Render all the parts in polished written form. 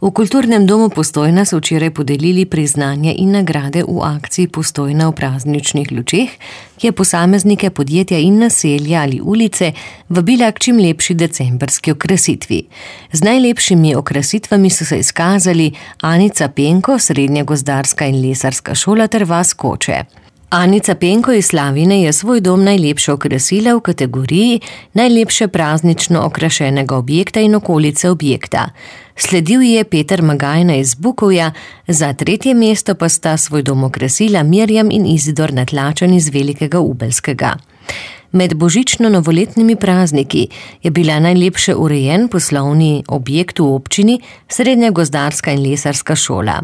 V Kulturnem domu Postojna so včeraj podelili priznanja in nagrade v akciji Postojna v prazničnih lučeh, ki je posameznike, podjetja in naselja ali ulice vabila k čim lepši decembrski okrasitvi. Z najlepšimi okrasitvami so se izkazali Anica Penko, Srednja gozdarska in lesarska šola ter vas Koče. Anica Penko iz Slavine je svoj dom najlepše okrasila v kategoriji najlepše praznično okrašenega objekta in okolice objekta. Sledil je Peter Magajna iz Bukovja, za 3. mesto pa sta svoj dom okrasila Mirjam in Izidor Natlačen iz Velikega Ubelskega. Med božično-novoletnimi prazniki je bila najlepše urejen poslovni objekt v občini Srednja gozdarska in lesarska šola.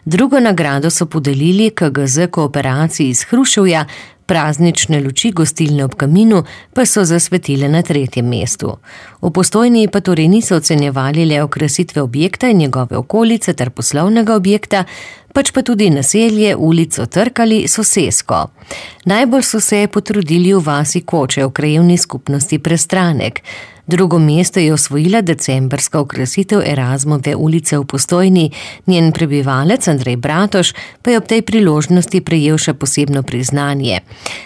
Drugo nagrado so podelili KGZ Kooperaciji iz Hruševja, praznične luči gostilne ob kaminu pa so zasvetile na 3. mestu. V Postojni pa torej niso ocenjevali le okrasitve objekta in njegove okolice ter poslovnega objekta, pač pa tudi naselje, ulico, trg ali sosesko. Najbolj so se potrudili v vasi Koče v krajevni skupnosti Prestranek. Drugo mesto je osvojila decembrska okrasitev Erazmove ulice v Postojni, njen prebivalec Andrej Bratoš pa je ob tej priložnosti prejel še posebno priznanje.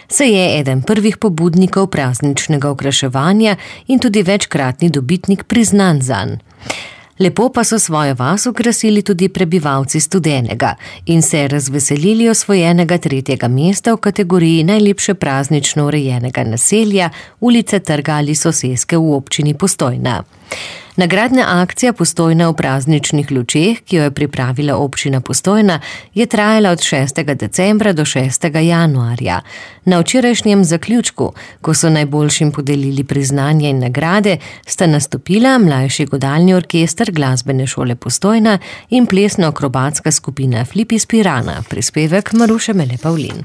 Se je eden prvih pobudnikov prazničnega okraševanja in tudi večkratni dobitnik priznanj zanj. Lepo pa so svojo vas okrasili tudi prebivalci Studenega in se razveselili osvojenega 3. mesta v kategoriji najlepše praznično urejenega naselja, ulice, trga ali soseske v občini Postojna. Nagradna akcija Postojna v prazničnih lučeh, ki jo je pripravila občina Postojna, je trajala od 6. decembra do 6. januarja. Na včerajšnjem zaključku, ko so najboljšim podelili priznanja in nagrade, sta nastopila mlajši godalni orkester Glasbene šole Postojna in plesno-akrobatska skupina Flip iz Pirana, prispevek Maruše Mele Pavlin.